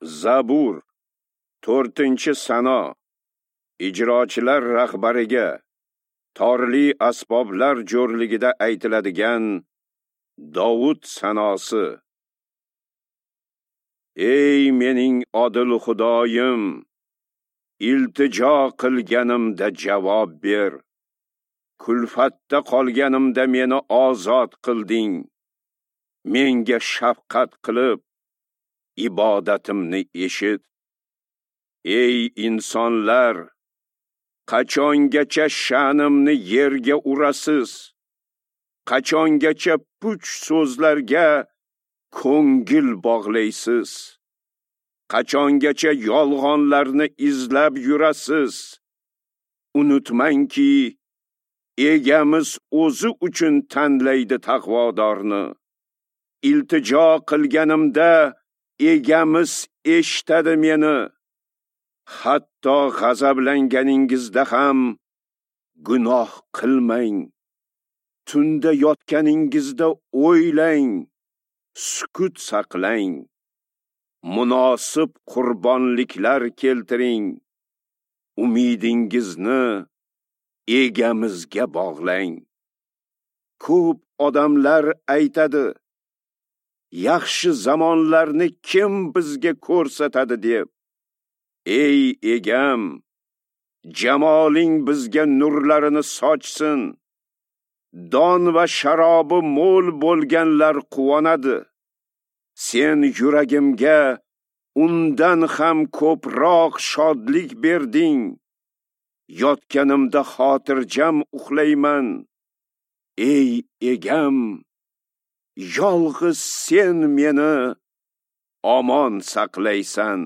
Zabur, 4-sano. Ijrochilar rahbariga torli asboblar jo'rligida aytiladigan Dovud sanosi. Ey mening odil Xudoyim, iltijo qilganimda javob ber. Kulfatda qolganimda meni ozod qilding. Menga shafqat qilib, ibodatimni eshit. Ey insonlar, qachongacha sha'nimni yerga urasiz? Qachongacha puch so'zlarga ko'ngil bog'laysiz? Qachongacha yolg'onlarni izlab yurasiz? Unutmangki, egamiz o'zi uchun tanlaydi taqvodorni. Iltijo qilganimda egamiz eshitadi meni. Hatto g'azablanganingizda ham gunoh qilmang. Tunda yotganingizda o'ylang, sukut saqlang. Munosib qurbonliklar keltiring. Umidingizni egamizga bog'lang. Ko'p odamlar aytadi, yaxshi zamonlarni kim bizga ko'rsatadi deb. Ey egam, jamoling bizga nurlarini sochsin. Don va sharobi mo'l bo'lganlar quvonadi. Sen yuragimga undan ham ko'proq shodlik berding. Yotganimda xotirjam uxlayman. Ey egam, yolg'iz sen meni omon saqlaysan.